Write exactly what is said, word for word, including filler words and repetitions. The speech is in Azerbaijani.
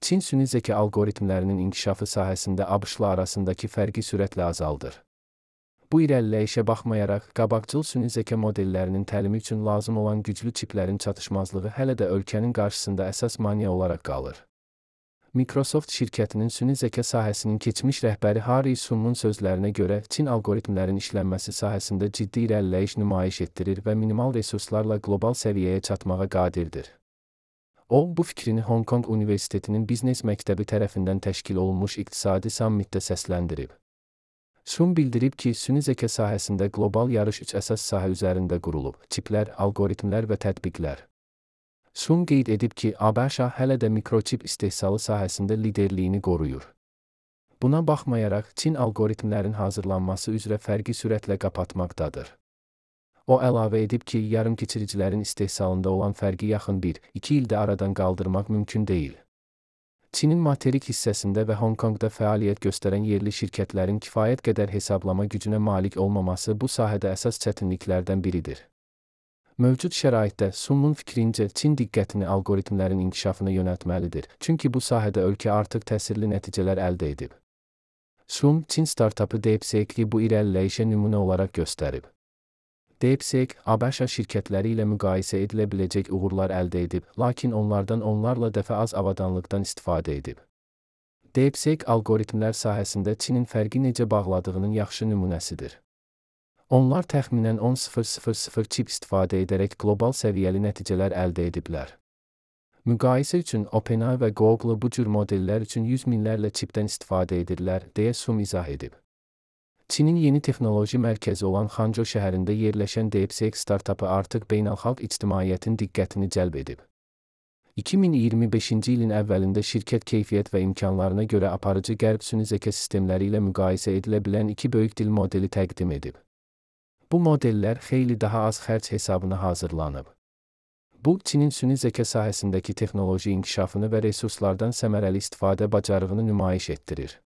Çin süni zəka algoritmlərinin inkişafı sahəsində ABŞ-lı arasındakı fərqi sürətlə azaldır. Bu irəliləyişə baxmayaraq, qabaqcıl süni zəka modellərinin təlimi üçün lazım olan güclü çiplərin çatışmazlığı hələ də ölkənin qarşısında əsas maneə olaraq qalır. Microsoft şirkətinin süni zəka sahəsinin keçmiş rəhbəri Harry Sum'un sözlərinə görə, Çin algoritmlərin işlənməsi sahəsində ciddi irəliləyiş nümayiş etdirir və minimal resurslarla qlobal səviyyəyə çatmağa qadirdir. O, bu fikrini Hong Kong Universitetinin Biznes Məktəbi tərəfindən təşkil olunmuş iqtisadi sammitdə səsləndirib. Sum bildirib ki, süni zəka sahəsində qlobal yarış üç əsas sahə üzərində qurulub: çiplər, algoritmlər və tətbiqlər. Sum qeyd edib ki, ABŞ hələ də mikroçip istehsalı sahəsində liderliyini qoruyur. Buna baxmayaraq, Çin algoritmlərin hazırlanması üzrə fərqi sürətlə qapatmaqdadır. O əlavə edib ki, yarımkeçiricilərin istehsalında olan fərqi yaxın bir iki ildə aradan qaldırmaq mümkün deyil. Çinin materik hissəsində və Hong Kongda fəaliyyət göstərən yerli şirkətlərin kifayət qədər hesablama gücünə malik olmaması bu sahədə əsas çətinliklərdən biridir. Mövcud şəraitdə Sum'un fikrincə, Çin diqqətini algoritmlərin inkişafına yönəltməlidir, çünki bu sahədə ölkə artıq təsirli nəticələr əldə edib. Sum, Çin startapı DeepSeek-i bu irəliləyişə nümunə olaraq göstərib. DeepSeek, ABŞ şirkətləri ilə müqayisə edilə biləcək uğurlar əldə edib, lakin onlardan onlarla dəfə az avadanlıqdan istifadə edib. DeepSeek algoritmlər sahəsində Çinin fərqi necə bağladığının yaxşı nümunəsidir. Onlar təxminən on min çip istifadə edərək qlobal səviyyəli nəticələr əldə ediblər. Müqayisə üçün OpenAI və Google bu cür modellər üçün yüz minlərlə çipdən istifadə edirlər, deyə Sum izah edib. Çinin yeni texnoloji mərkəzi olan Xanzhou şəhərində yerləşən DeepSeek startapı artıq beynəlxalq ictimaiyyətin diqqətini cəlb edib. iki min iyirmi beşinci ilin əvvəlində şirkət keyfiyyət və imkanlarına görə aparıcı qərb süni zəka sistemləri ilə müqayisə edilə bilən iki böyük dil modeli təqdim edib. Bu modellər xeyli daha az xərc hesabına hazırlanıb. Bu, Çinin süni zəka sahəsindəki texnoloji inkişafını və resurslardan səmərəli istifadə bacarığını nümayiş etdirir.